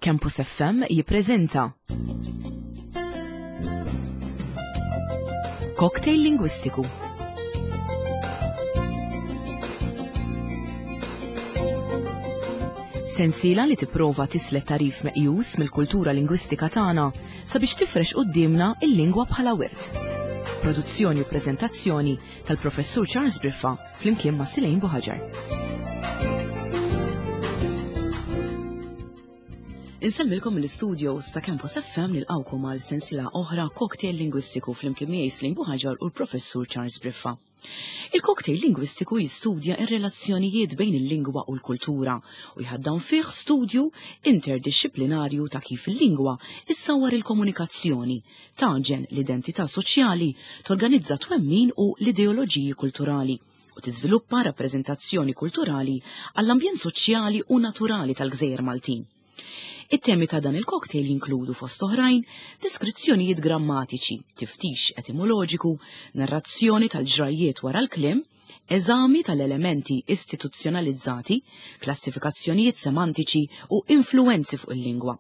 Campus FM jippreżenta Cocktail Lingwistiku. Sensiela li tipprova tislet tarif meqjus mill-kultura lingwistika tagħna sabiex tifrex quddiemna il-lingwa bħala wirt. Produzzjoni u preżentazzjoni tal-Professur Charles Briffa flimkien ma' Silejn Buħaġar. Insellmilkom mill-studios ta' Campus FM nilqawkom għal sensiela oħra cocktail lingwistiku flimkien miegħi Slim Buħaġar u l-Professur Charles Briffa. Il-cocktail lingwistiku jistudja ir-relazzjonijiet bejn il-lingwa u l-kultura u jħaddan fih studju interdixxiplinarju ta' kif il-lingwa issawwar il-komunikazzjoni, tagħġen l-identità soċjali, torganizza twemmin u l-ideoloġiji kulturali u tiżviluppa rappreżentazzjoni kulturali għall-ambjent soċjali u naturali tal-gżejjer Maltin. It-temi ta' dan il-cocktail jinkludu fost oħrajn deskrizzjonijiet grammatiċi, tiftix etimoloġiku, narrazzjoni tal-ġrajjiet wara l-kliem, eżami tal-elementi istituzzjonalizzati, klassifikazzjonijiet semantiċi u influwenzi fuq il-lingwa.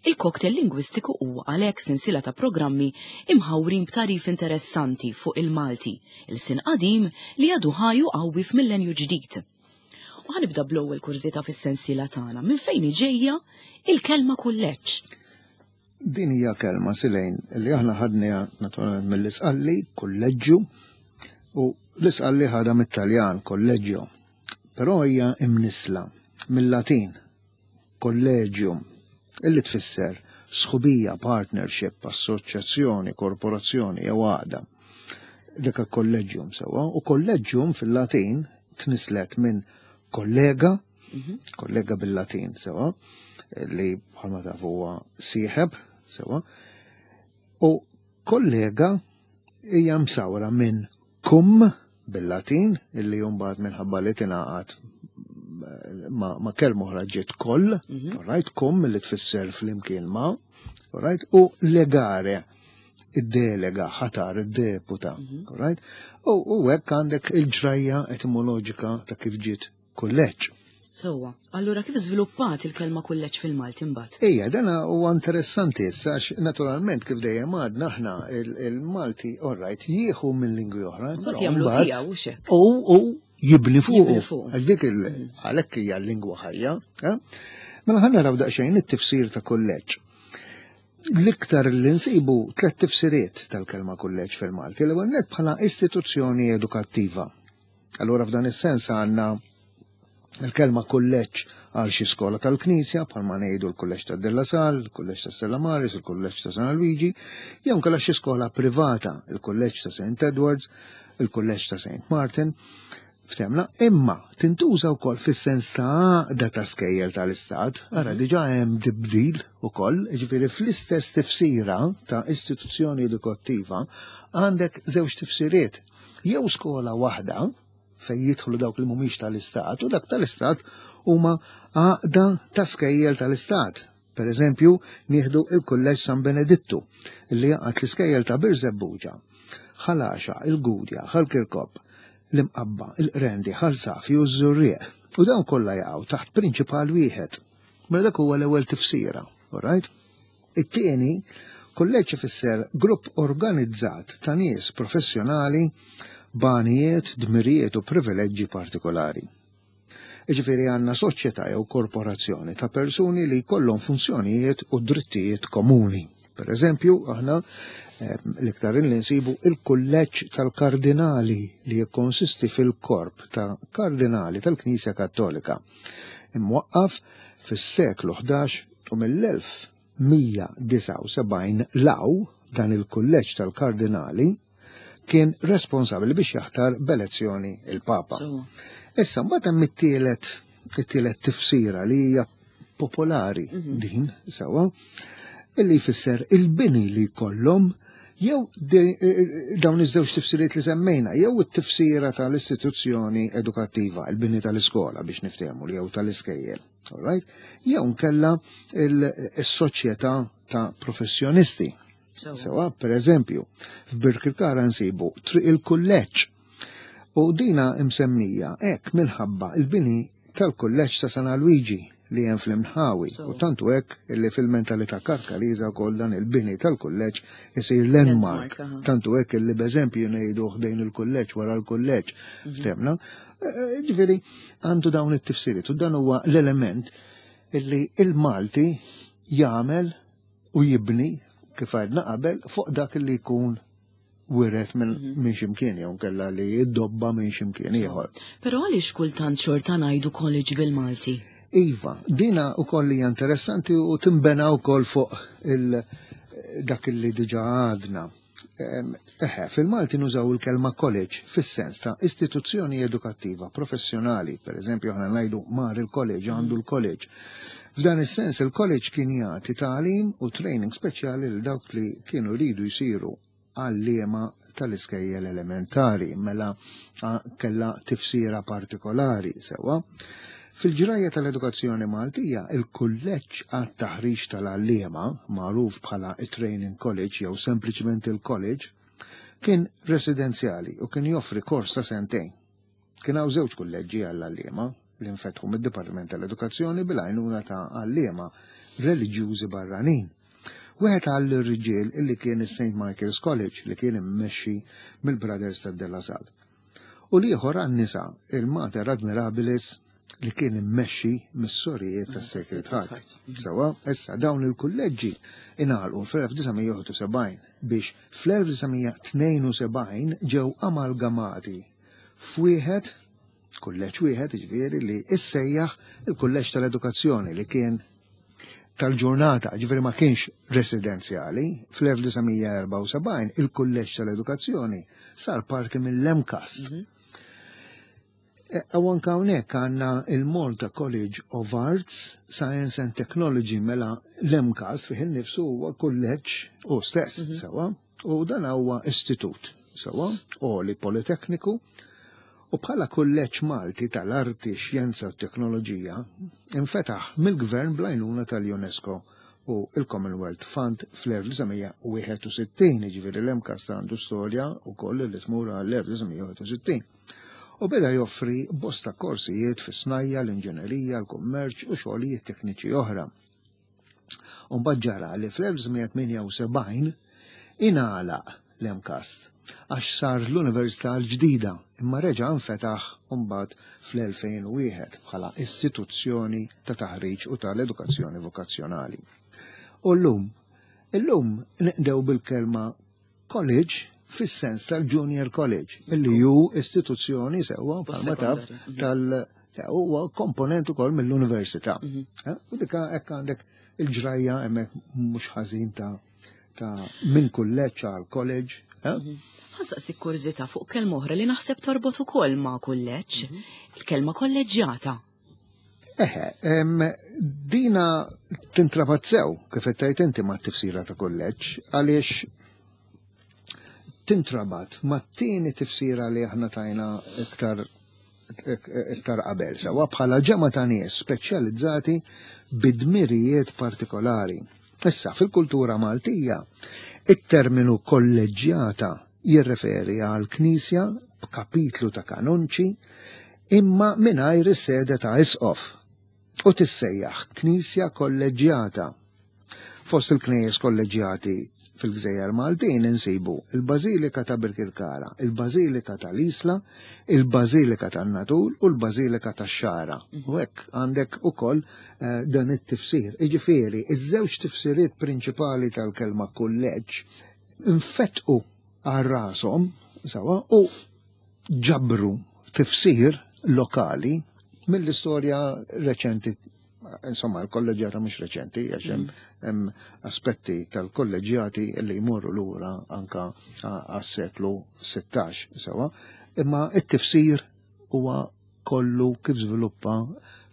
Il-cocktail lingwistiku huwa għalhekk sensiela ta' programmi imħawrin b'tagħrif interessanti fuq il-Malti, ilsien qadim li għadu ħaj u qawwi f'millenju ġdid. U ħanibda bl-ewwel kurżità fis-sensiela tagħna, minn fejn hi ġejja il-kelma kulleġġ? Din hija kelma silejn li aħna ħadniha naturalment mill-Isqalli, kulleġġu, u l-Isqalli ħadha mit-Taljan, kolleġġio. Però hija imnissla mill-Latin, collegium, illi tfisser sħubija, partnership, assoċjazzjoni, korporazzjoni jew għaqda. Dik collegium sewwa, u collegium fil-Latin tnislet minn kollega, mhm. kollega bil-Latin sewwa, li bħalma taf huwa sieħeb sewwa, u kollega hija msawra minn cum bil-Latin, illi mbagħad minħabba li tingħaqad ma, ma kelma oħra ġiet koll, mm -hmm. right, cum li tfisser flimkien ma, right, u legare, id-delega, ħatar, id-deputa, mm -hmm. right, u, u hekk għandek il-ġrajja etimoloġika ta' kif ġiet kulleġġ. Sewwa, allura kif żviluppat il-kelma kulleġġ fil-Malti mbagħad? Ejja, dana huwa interessanti issa għax naturalment kif dejjem għadna aħna il-Malti all right jieħu minn lingwi oħra. Mbagħad jagħmlu tiegħu u xek. U jibni fuq. Għax dik għalhekk hija l-lingwa ħajja. Eh? Mela ħa naraw daqsxejn it-tifsir ta' kulleġġ. L-iktar li nsibu tlet tifsiriet tal-kelma kulleġġ fil-Malti. L-ewwel nett bħala istituzzjoni edukattiva. Allura f'dan is-sens għandna il-kelma kulleġġ għal xi skola tal-Knisja, bħalma ngħidu l-kulleġġ ta' Della Sal, il-kulleġġ ta' Stella Maris, il-kulleġġ ta' San Luigi, jew inkella xi skola privata, il-kulleġġ ta' St. Edwards, il-kulleġġ ta' St. Martin. Ftemna, imma tintuża wkoll fis-sens ta' għaqda ta' skejjel tal-Istat, ara mhm. diġà hemm tibdil ukoll, jiġifieri fl-istess tifsira ta' istituzzjoni edukattiva għandek żewġ tifsiriet. Jew skola waħda fejn jidħlu dawk li mhumiex tal-istat u dak tal-istat huma għaqda ta' skejjel tal-istat. Per eżempju, nieħdu il-Kulleġġ San Benedittu li jaqgħad l-iskejjel ta' Birżebbuġa, Ħal Għaxaq, il-Gudja, Ħal Kirkop, l-Imqabba, il-Qrendi, Ħal Safi u ż-Żurrieq. U dawn kollha jaqgħu taħt prinċipal wieħed. Mela dak huwa l-ewwel tifsira, all right? It-tieni, kulleġġ ifisser grupp organizzat ta' nies professjonali b'għanijiet, dmirijiet u privileġġi partikolari. Jiġifieri għandna soċjetà jew korporazzjoni ta' persuni li jkollhom funzjonijiet u drittijiet komuni. Per eżempju, aħna eh, l-iktar li nsibu il-kulleġġ tal-kardinali li jikkonsisti fil-korp ta' kardinali tal-Knisja Kattolika. Imwaqqaf fis-seklu 11 u mill-1179 'l hawn dan il-kulleġġ tal-kardinali kien responsabbli biex jaħtar b'elezzjoni il-Papa. Issa mbagħad hemm it-tielet it-tielet tifsira li hija popolari mhm. din sewwa illi jfisser il-bini li jkollhom jew eh, eh, dawn iż-żewġ tifsiriet li semmejna, jew it-tifsira tal-istituzzjoni edukattiva, il-bini tal-iskola biex niftehmu li jew tal-iskejjel. All right? Jew nkella il-soċjetà ta' professjonisti. Sewa, per eżempju, f'Birkirkara nsibu triq il-kulleġġ. U dina imsemmija hekk minħabba il-bini tal-kulleġġ ta' San Alwiġi. li hemm fl-imnħawi. U tantu hekk li fil-mentalità Karkariża wkoll dan il-bini tal-kulleġġ isir landmark. Tantu hekk li b'eżempju ngħidu ħdejn il-kulleġġ wara l-kulleġġ. Ftemna. Ġifieri għandu dawn it-tifsiriet u dan huwa l-element illi il-Malti jagħmel u jibni kif għedna qabel fuq dak li jkun wiret minn ximkien jew kella li jiddobba minn ximkien ieħor. Però għaliex kultant xorta ngħidu college bil-Malti? Iva, dina wkoll hija interessanti u timbena wkoll fuq il dak li diġà għadna. Eħe, fil-Malti nużaw il-kelma college fis-sens ta' istituzzjoni edukattiva professjonali, per eżempju aħna ngħidu mar il-college, għandu l-college. F'dan is-sens il-college kien jagħti tagħlim u training speċjali lil dawk li kienu jridu jsiru għalliema tal-iskejjel elementari, mela kella tifsira partikolari sewwa. Fil-ġrajja tal-edukazzjoni Maltija, il-kulleġġ għat-taħriġ tal-għalliema, magħruf bħala it-Training College jew sempliċement il-college, kien residenzjali u kien joffri kors ta' sentejn. Kien hawn żewġ kulleġġi għall-għalliema li nfetħu mid-Dipartiment tal-Edukazzjoni bil-għajnuna ta' għalliema reliġjużi barranin. Wieħed għall-irġiel illi kien is-St. Michael's College li kien immexxi mill-Brothers ta' De La Salle. U l-ieħor għan-nisa, il-Mater Admirabilis li kien immexxi mis-sorijiet tas Sacred Heart. Sewwa, issa dawn il-kulleġġi ingħalqu fl-1971 biex fl-1972 ġew amalgamati f'wieħed kulleġġ wieħed ġifieri li issejjaħ il-Kulleġġ tal-Edukazzjoni li kien tal-ġurnata, ġifieri ma kienx residenzjali, fl-1974 il-Kulleġġ tal-Edukazzjoni sar parti mill-MCAST. U anka hawnhekk għandna il-Malta College of Arts, Science and Technology mela l-MCAST fih innifsu huwa kulleġġ u stess, sewwa, u dan huwa istitut, sewwa, għoli politekniku, u bħala kulleġġ Malti tal-Arti, Xjenza u Teknoloġija infetaħ mill-Gvern bl-għajnuna tal-UNESCO u il-Commonwealth Fund fl-1961, ġifieri l-MCAST għandu storja wkoll li tmur għall-1961. U beda joffri bosta korsijiet fis-snajja, l-inġinerija, l-kummerċ u xogħlijiet tekniċi oħra. U mbagħad ġara li fl-1978 ingħalaq l-MCAST għax sar l-Università l-ġdida imma reġa' nfetaħ mbagħad fl-2001 bħala istituzzjoni ta' taħriġ u tal-edukazzjoni vokazzjonali. U llum, illum nqdew bil-kelma college fis-sens tal-junior college, illi ju istituzzjoni sewwa bħalma taf tal huwa komponent ukoll mill-università. U dika hekk għandek il-ġrajja hemmhekk mhux ħażin ta' minn kulleġġ għal college. Ħa nsaqsik kurżità fuq kelma oħra li naħseb torbot ukoll ma' kulleġġ, il-kelma kolleġġjata. Eħe, dina tintrabat sew kif qed tgħid inti ma' tifsira ta' kulleġġ għaliex tintrabat ma' tieni tifsira li aħna tajna iktar iktar qabel sewwa bħala ġemgħa ta' nies speċjalizzati bidmirijiet partikolari. Issa fil-kultura Maltija, it-terminu kolleġġjata jirreferi għal knisja b'kapitlu ta' kanonċi imma mingħajr is-sede ta' isqof u tissejjaħ knisja kolleġġjata. Fost il-knejjes kolleġġjati fil-Gżejjer Maltin insibu il-Bażilika ta' Birkirkara, il-Bażilika tal-Isla, il-Bażilika tan-Nadur u l-Bażilika tax-Xagħra. U hekk għandek ukoll dan it-tifsir. Jiġifieri, iż-żewġ tifsiriet prinċipali tal-kelma kulleġġ infetqu għal rashom sewwa u ġabru tifsir lokali mill-istorja reċenti. Insomma, il-kolleġjata mhux reċenti, għax hemm aspetti tal-kolleġjati li jmorru lura anka għas-seklu 16, sewwa, imma it-tifsir huwa kollu kif żviluppa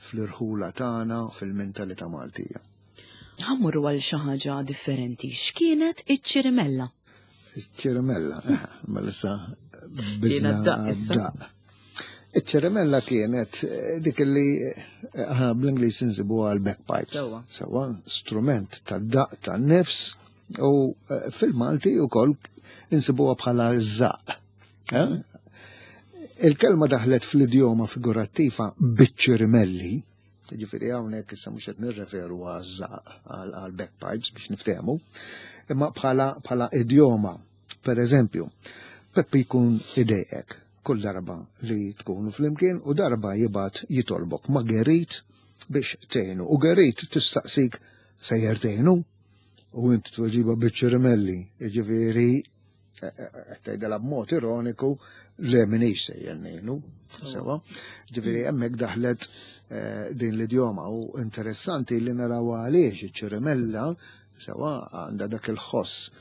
fl-irħula tagħna fil-mentalità Maltija. Ħa mmorru għal xi ħaġa differenti. X'kienet iċ-ċirimella? Iċ-ċirimella, mela issa Kienet biżna daq issa. daq. Iċ-ċirimella kienet dik li aħna bl-Ingliż insibu għal bagpipes. Sewwa. Sewwa, strument ta' daq ta' nifs u fil-Malti wkoll insibuha bħala żaq. Il-kelma daħlet fl-idjoma figurattiva biċ-ċirimelli. Ġifieri hawnhekk issa mhux qed nirreferu għaż-żaq għal bagpipes biex niftehmu, imma bħala bħala idjoma. Per eżempju, Peppi jkun idejqek kull darba li tkunu flimkien u darba jibgħat jitolbok ma' Gerit biex tgħinu. U Gerit tistaqsik sejjer tgħinu u int tweġiba biċ-ċirimelli, jiġifieri tgħidilha b'mod ironiku le minix sejjer ngħinu. Sewa. Ġifieri hemmhekk daħlet eh, din l-idjoma u interessanti li naraw għaliex iċ-ċirimella sewa għandha dak il-ħoss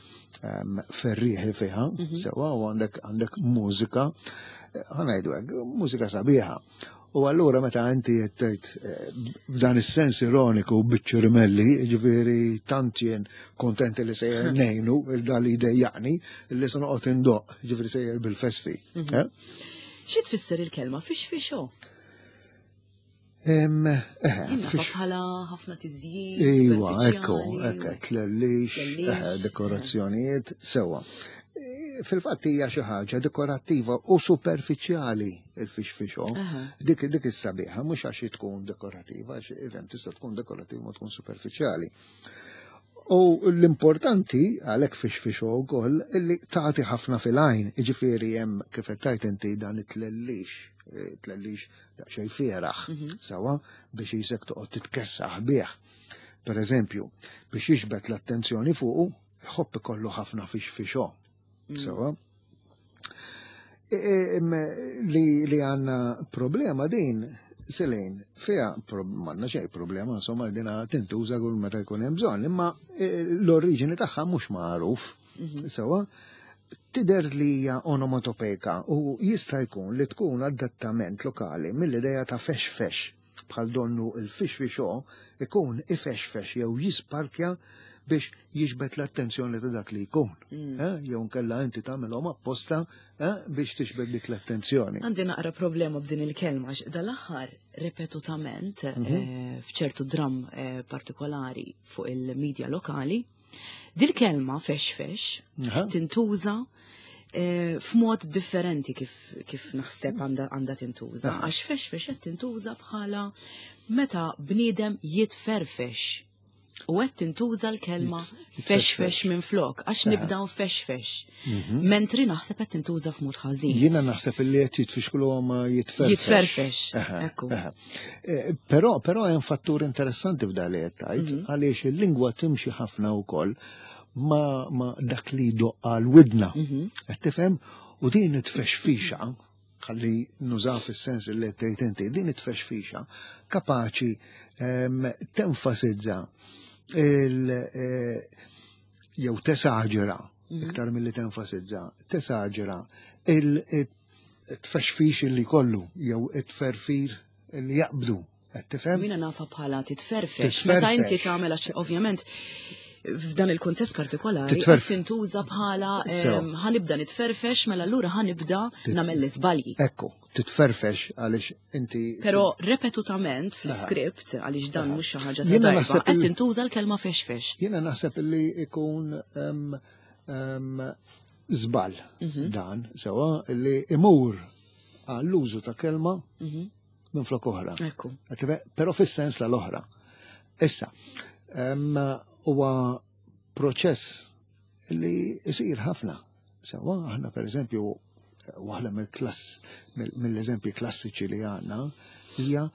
ehm, ferrieħi fiha, mhm. sewa u għandek għandek mużika, eh, ħanajdu hekk, mużika sabiħa. U allura meta inti qed tgħid eh, b'dan is-sens ironiku biċ-ċirimelli, jiġifieri tant jien kontent li sejjer ngħinu il dan li jdejjaqni li se noqgħod indoq, jiġifieri sejjer bil-festi. Mhm. Eh? Xi tfisser il-kelma fix fixo? Eh, bħala ħafna tiżjid. Iva, ekku, ekku, tlellix, dekorazzjonijiet, sewa. Fil-fatt hija xi ħaġa dekorattiva u superfiċjali il-fixfixo. Dik dik is-sabiħa mhux għax tkun dekorattiva, għax even tista' tkun dekorattiva ma tkun superfiċjali. U l-importanti għalhekk fixfixo wkoll illi tagħti ħafna fil-għajn, jiġifieri hemm kif qed tgħid inti dan it-tlellix, eh, tlellix daqsxejn fieraħ, mhm. sawa biex jisek toqgħod titkessaħ bih. Per eżempju, biex jiġbed l-attenzjoni fuqu, Ħobb ikollu ħafna fix fixo. Mm. Sewa. E, e, li, li għanna problema din, Selejn, fija manna xej problema, insomma, dina tintuża kull meta jkun hemm bżonn, imma e, l-oriġini tagħha mhux magħruf. Mhm. Sewa, tider li hija onomatopejka u jista' jkun li tkun adattament lokali mill-idea ta' fex fex. Bħal donnu il-fixfixo ikun ifexfex jew jisparkja biex jiġbed l-attenzjoni ta' dak li jkun. Mm. Eh? Jew nkella inti tagħmilhom apposta eh, biex tixbed dik l-attenzjoni. Għandi naqra problema b'din il-kelma għax dal-aħħar ripetutament mhm. eh, f'ċertu dram partikolari fuq il-medja lokali Dil-kelma fex fex tintuża eh, f'mod differenti kif, kif naħseb għandha tintuża. Għax fex fex qed tintuża bħala meta bniedem jitferfex. U qed tintuża l-kelma fex fex minn flok, għax nibda fex fex. Mhm. Mentri naħseb qed tintuża f'mod ħażin. Jiena naħseb li qed jitfixklu ma jitferfex. Jitferfex. Ekku. Eh, però però hemm fattur interessanti f'dan li qed tgħid mhm. għaliex il-lingwa timxi ħafna wkoll ma, ma dak li doqqa l-widna. Mhm. Qed tifhem? U din it-tfexfixa, ħalli nużaw fis-sens li qed tgħid inti, din it-tfexfixa kapaċi ehm, tenfasizza il eh, jew tesaġera mhm. iktar milli tenfasizza, tesaġera il-tfexfix li kollu jew it-tferfir li jaqbdu. Qed tifhem? Mina nafa bħala titferfex. Meta inti tagħmel għax ovvjament f'dan il-kuntest partikolari tintuża bħala ħanibda nitferfex mela allura ħanibda nagħmel l-iżbalji. Ekku, titferfex għaliex inti. Però repetutament fl-iskript għaliex dan mhux xi ħaġa ta' darba qed tintuża l-kelma fexfex. Jiena naħseb li ikun żball mhm. dan sewa li imur għall-użu ta' kelma mhm. minn flok oħra. Però fis-sens tal-oħra. Issa, huwa proċess li jsir ħafna. Sewa, aħna per eżempju, waħda mill-klass, mill-eżempji klassiċi li għandna hija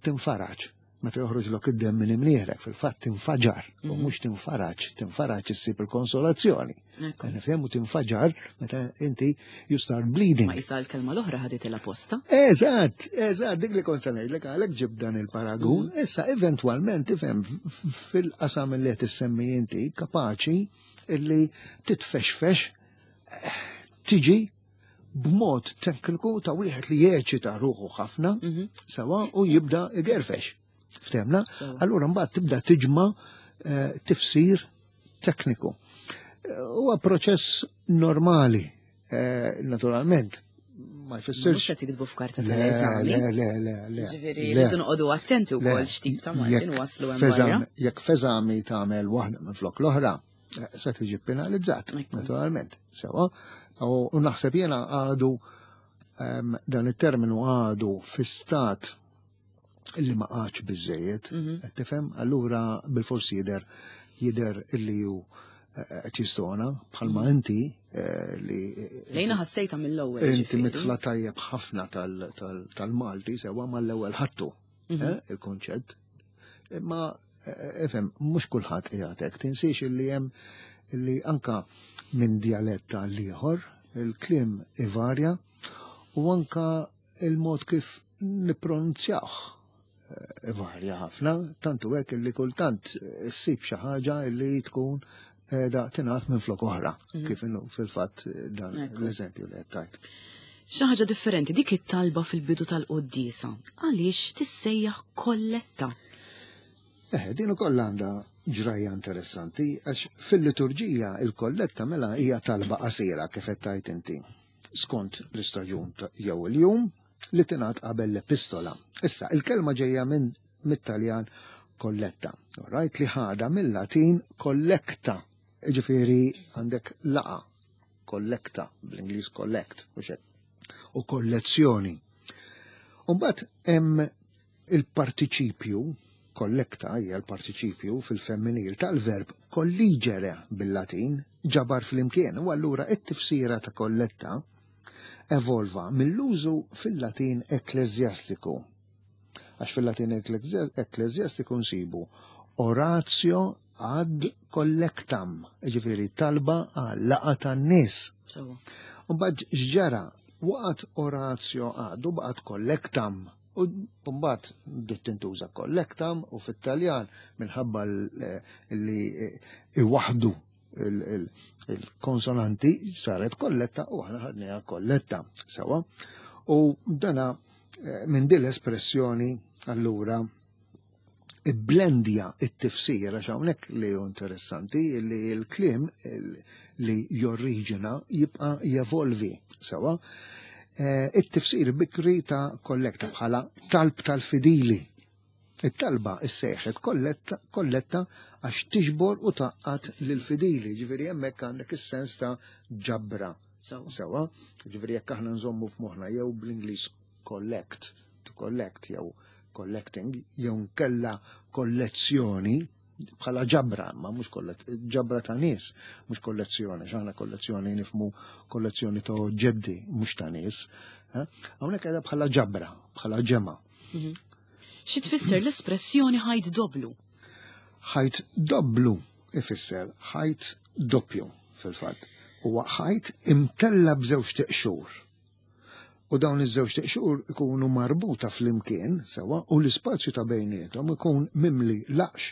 tinfaraġ. Meta joħroġlok id-demm minn imnieħrek, fil-fatt tinfaġar, u mhm. mhux tinfaraġ, tinfaraġ issib il-konsolazzjoni. Nifhemu tinfaġar meta inti you start bleeding. Ma jisa l-kelma l-oħra ħadet il-apposta. Eżatt, eżatt, dik li kont se ngħidlek għalhekk ġib dan il-paragun. Mhm. Issa eventwalment tifhem fil-qasam li qed issemmi inti kapaċi illi titfexfex eh, tiġi b'mod tekniku ta' wieħed li jeċita ruħu ħafna mhm. sewa u jibda igerfex. Ftemna? Allura mbagħad tibda tiġma eh, tifsir tekniku. Eh, huwa proċess normali, eh, naturalment, ma jfissirx. Mhux qed jiktbu f'karta tal-eżami. Le, le, le, le. Ġifieri rridu noqogħdu attenti wkoll x'tip ta' Malti waslu hemm Jekk f'eżami tagħmel waħda minn flok l-oħra, se tiġi penalizzat, naturalment. Sewa, u naħseb jiena għadu dan it-terminu għadu fi stat Illi ma qagħadx biżejjed, mhm. qed tifhem? Allura bil-forsi jidher jidher illi hu eh, qed jistona bħalma mhm. inti eh, li Lejna ħassejta mill-ewwel. Inti mitħla tajjeb ħafna tal-Malti sewa mal-ewwel ħattu mhm. eh, il-konċett. Imma ifhem mhux kulħadd qiegħed tinsiex illi hemm illi anka minn djalett għal ieħor il-kliem ivarja u anka il-mod kif nippronunzjawh eh, varja ħafna, tantu hekk illi kultant eh, ssib xi ħaġa li tkun eh, da tingħad minn flok oħra, mhm. kif inhu fil-fatt dan l-eżempju li qed tajt. Xi ħaġa differenti dik it-talba fil-bidu tal-quddiesa, għaliex tissejjaħ kolletta? Eh, din ukoll għandha ġrajja interessanti għax fil-liturġija il-kolletta mela hija talba qasira kif qed tajt inti. skont l-istaġun jew il-jum li tingħad qabel l-epistola. Issa, il-kelma ġejja minn mit-Taljan kolletta, right, li ħada mill-Latin collecta, ġifieri għandek laqa, kollekta, bl-Ingliż collect, u xek, u kollezzjoni. Umbagħad hemm Il-partiċipju, collecta hija l-partiċipju fil-femminil tal-verb colligere bil-Latin, ġabar flimkien, u allura it-tifsira ta' kolletta evolva mill-użu fil-Latin ekkleżjastiku. Għax fil-Latin ekkleżjastiku nsibu oratio ad collectam, ġifieri talba għal laqgħa tan-nies. U mbagħad x'ġara waqgħet oratio ad u baqgħet collectam. U mbagħad bdiet tintuża collectam u fit-Taljan minħabba li iwaħdu il-konsonanti saret kolletta u aħna ħadniha kolletta sewa. U dana eh, minn din l-espressjoni allura ibblendja it-tifsir għax hawnhekk li hu interessanti li l-kliem li jorriġina jibqa' jevolvi sewa. Eh, it-tifsir bikri ta' kollekta bħala talb tal-fidili. It-talba issejħet kolletta għax tiġbor u taqqat lill-fidili, ġifieri hemmhekk għandek is-sens ta' ġabra. Sewa, ġifieri jekk aħna nżommu f'moħħna jew bl-Ingliż collect, to collect jew collecting, jew nkella kollezzjoni bħala ġabra, ma mhux ġabra ta' nies, mhux kollezzjoni, x'aħna kollezzjoni nifmu kollezzjoni ta' oġġetti mhux ta' nies. Eh? Hawnhekk qiegħda bħala ġabra, bħala ġemgħa. Mhm. Xi tfisser l-espressjoni ħajt doblu? Ħajt doblu ifisser ħajt doppju fil-fatt. Huwa ħajt imtella b'żewġ teqxur. U dawn iż-żewġ teqxur ikunu marbuta flimkien sewa u l-ispazju ta' bejniethom ikun mimli laqx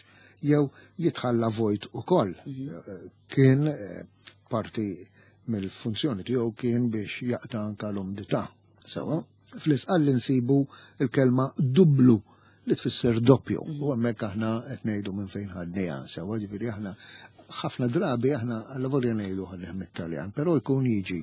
jew jitħalla vojt ukoll. Mhm. Eh, kien eh, parti mill-funzjoni tiegħu kien biex jaqta' anka l-umdità. Sewa, fl-isqalli nsibu l-kelma dublu li tfisser doppju. Mhm. U hemmhekk aħna qed ngħidu minn fejn ħadniha, sewa ġifieri aħna ħafna drabi aħna għal-lavorja ngħidu ħadnieh mit-Taljan, però jkun jiġi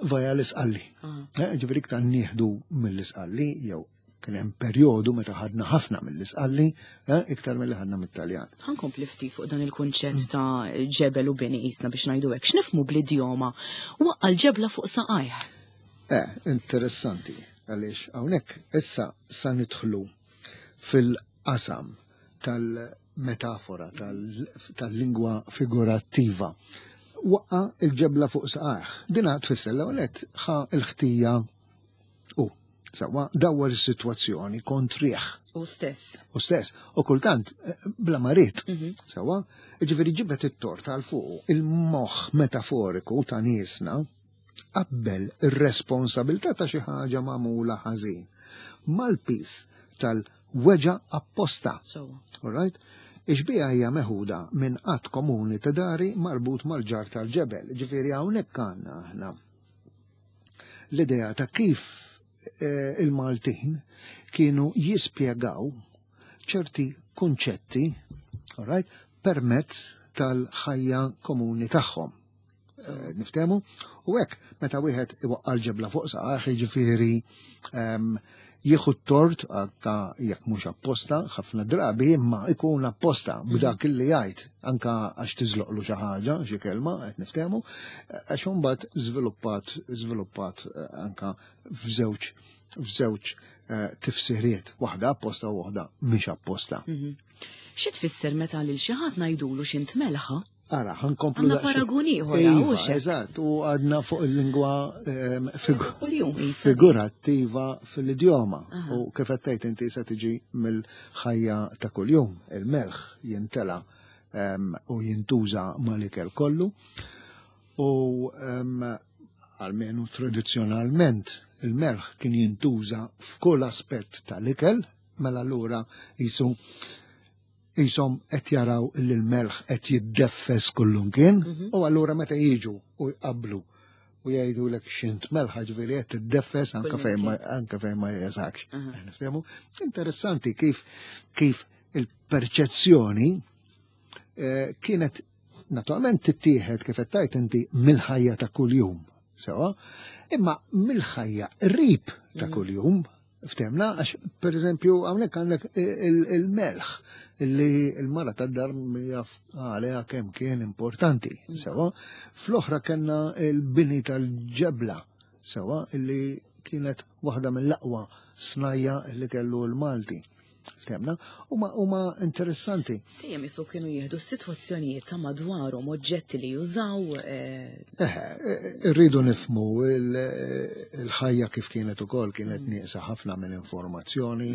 vaja l-isqalli. Ah. Eh, ġifieri iktar nieħdu mill-isqalli jew kien hemm perjodu meta ħadna ħafna mill-isqalli eh, iktar milli ħadna mit-Taljan. Ħankompli ftit fuq dan il-kunċett mm. ta' ġebel u bini qisna biex ngħidu hekk. X'nifhmu bl-idjoma waqqa' l-ġebla fuq saqajh. Eh, interessanti, għaliex hawnhekk issa sa nidħlu fil-qasam tal-metafora, tal-lingwa figurattiva. Waqqa il-ġebla fuq saqajh. Dina tfisser l-ewwel ħa l-ħtija u sawa dawwar is-sitwazzjoni kontrih. U stess. U stess. U kultant eh, bla marit. Mhm. Sawa, ġifieri ġibet it-tort għal fuq il-moħħ metaforiku ta' niesna qabbel ir-responsabilità ta' xi ħaġa magħmula ħażin mal-piż tal-weġgħa apposta. All right? Ix-xbieha hija meħuda minn att komuni ta' dari marbut mal-ġarr tal-ġebel. Ġifieri hawnhekk għandna aħna l-idea ta' kif eh, il-Maltin kienu jispjegaw ċerti kunċetti, all right, permezz tal-ħajja komuni tagħhom. Eh, niftemu, u hekk meta wieħed iwaqqa' l-ġebla fuq saqajh, jiġifieri ehm, jieħu t-tort ta' jekk mhux apposta ħafna drabi imma ikun apposta mhm. b'dak li jgħid anka għax tiżloqlu xi ħaġa, xi kelma qed niftehmu, għax imbagħad żviluppat żviluppat eh, anka f'żewġ f'żewġ eh, tifsiriet, waħda apposta u waħda mhix apposta. Mhm. Xi tfisser meta lil xi ħadd ngħidulu x'int melħa? Ara, ħankomplu. Għandna paragun ieħor, iva, Eżatt, u għadna fuq il-lingwa ehm, figurattiva fil-idjoma. U kif qed tgħid inti se tiġi mill-ħajja ta' kuljum, il-melħ jintela ehm, u jintuża mal-ikel kollu. U ehm, almenu tradizzjonalment il-melħ kien jintuża f'kull aspett tal-ikel, mela allura jisu qishom qed jaraw li l-melħ qed jiddeffes kullumkien mhm. u allura meta jiġu u jqabblu u jgħidu lek xint melħa ġifieri qed tiddeffes anke fejn ma anke fejn ma jeżakx. Niftehmu? Interessanti kif kif il-perċezzjoni eh, kienet naturalment tittieħed kif qed tgħid inti mill-ħajja ta' kuljum, sewa, imma mill-ħajja qrib ta' mhm. kuljum Ftemna, għax per eżempju, għamlek għandek il-melħ li l-mara tad-dar jaf għaliha kemm kien importanti, mm. sewa. Fl-oħra kellna il-bini tal-ġebla, sewa, illi kienet waħda mill-aqwa snajja li kellu l-Malti. Ftemna, huma huma interessanti. Dejjem isu kienu jieħdu s-sitwazzjonijiet ta' madwarhom, oġġetti li jużaw. Eh, eh, irridu nifmu il-ħajja kif kienet ukoll kienet mm. nieqsa ħafna minn informazzjoni.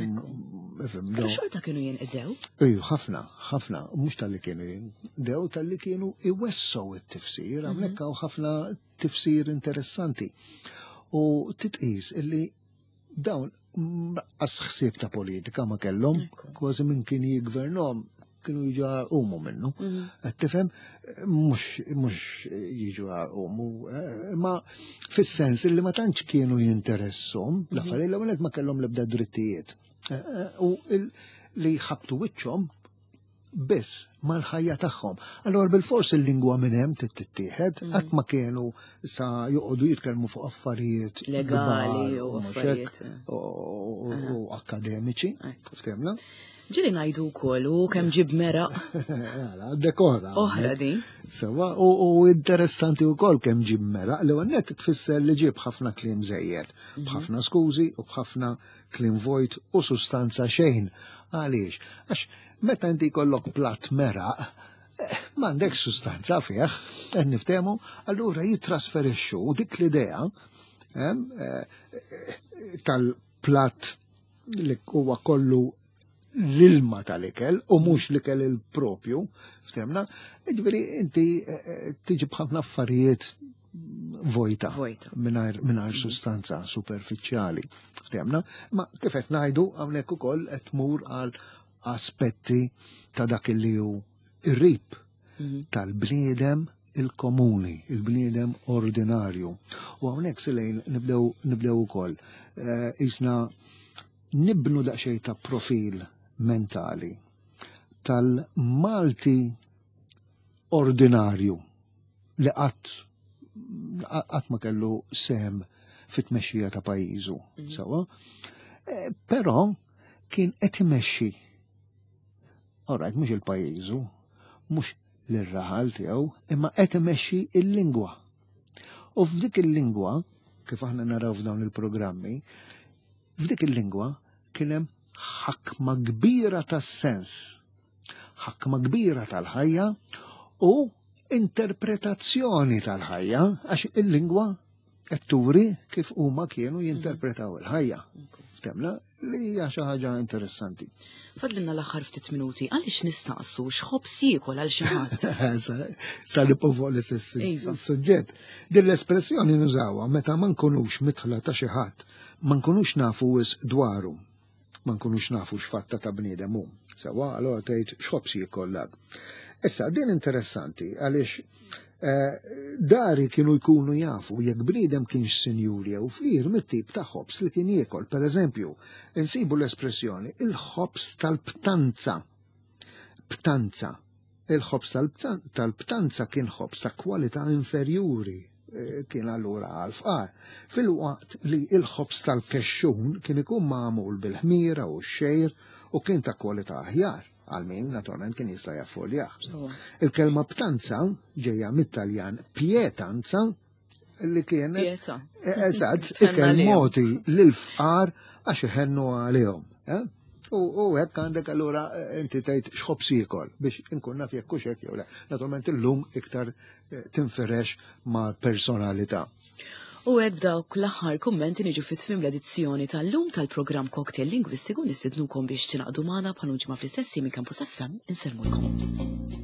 Però xorta kienu jinqdew? Iju, ħafna, ħafna, mhux tal-li kienu jinqdew, tal-li kienu iwessow it-tifsir, mhm. hawnhekk hawn ħafna tifsir interessanti. U titqis illi dawn qas ħsieb ta' politika ma kellhom, kważi minn kien jiggvernhom kienu jiġu għumu minnu. Mhm. Qed tifhem mhux jiġu għumu, eh, ma fis-sens li ma tantx kienu jinteressom mhm. l-affarijiet l-ewwel ma kellhom l-ebda drittijiet. Eh, eh, u li ħabtu wiċċhom biss mal-ħajja tagħhom. Allora bil-fors il-lingwa minn hemm tittieħed, mm. qatt ma kienu sa joqogħdu jitkellmu fuq affarijiet legali u affarijiet u akademiċi, ftemna. Ġili ngħidu wkoll u kemm ġib meraq. Għandek oħra. Oħra din. Sewa, u interessanti wkoll kemm ġib meraq li għannet tfisser li ġib ħafna kliem żejjed, mhm. b'ħafna skużi u b'ħafna kliem vojt u sustanza xejn. Għaliex? Għax meta inti jkollok platt meraq, eh, m'għandekx sustanza fih, qed niftehmu, allura jittrasferixxu dik l-idea eh, eh, tal-platt li huwa kollu l-ilma tal-ikel u mhux l-ikel il-propju, ftemna, ġifieri inti tiġi b'ħafna affarijiet vojta, mingħajr mm. sustanza superfiċjali. Ftemna, ma kif qed ngħidu hawnhekk ukoll qed tmur għal aspetti ta' dak li hu ir-rib mhm. tal-bniedem il-komuni, il-bniedem ordinarju. U hawnhekk silejn nibdew nibdew ukoll eh, isna nibnu daqsxejn ta' profil mentali tal-Malti ordinarju li qatt qatt ma kellu sehem fit-tmexxija ta' pajjiżu, mhm. sewa. Eh, però kien qed imexxi. Alright, mhux il-pajjiżu, mhux l-raħal tiegħu, imma qed imexxi il-lingwa. U f'dik il-lingwa, kif aħna naraw f'dawn il-programmi, f'dik il-lingwa kien hemm ħakma kbira tas-sens ħakma kbira tal-ħajja u interpretazzjoni tal-ħajja għax il-lingwa qed turi kif huma kienu jinterpretaw il-ħajja. Temna li hija xi ħaġa interessanti. Fadlinna l-aħħar ftit minuti, għaliex nistaqsu x'ħobż jiekol għal xi ħadd? Sa nibqgħu fuq l-istess iva. suġġett. Din l-espressjoni nużawha meta ma nkunux mitħla ta' xi ħadd, ma nkunux nafu wisq dwaru. ma nkunux nafu x'fatta ta' bniedem hu. Sewwa, allura tgħid x'ħobż jiekol dak. Issa, din interessanti għaliex eh, dari kienu jkunu jafu jekk bniedem kienx sinjur jew fqir mit-tip ta' ħobż li kien jiekol. Per eżempju, insibu l-espressjoni il-ħobż tal-btanza. Btanza. Il-ħobż tal-btanza kien ħobż ta' kwalità inferjuri eh, kien allura għal-fqar. Filwaqt li il-ħobż tal-kexxun kien ikun magħmul bil-ħmira u x-xejr u kien ta' kwalità aħjar għal min naturalment kien jista' jaffoljah. Il-kelma btanza ġejja mit-Taljan pietanza. li kienet eh, eżatt ikel moti lil-fqar għax iħennu għalihom. Eh? U hekk għandek allura eh, inti tgħid x'ħobs jiekol biex inkun naf jekk hux hekk jew le. Naturalment illum iktar tinfirex ma' personalità. U hekk b'dawk l-aħħar kummenti niġu fi tmiem l-edizzjoni tal-lum tal-programm Cocktail Lingwistiku nistidnukom biex tingħaqdu magħna bħal ġimgħa fl-istess minn Campus FM insellmulkom.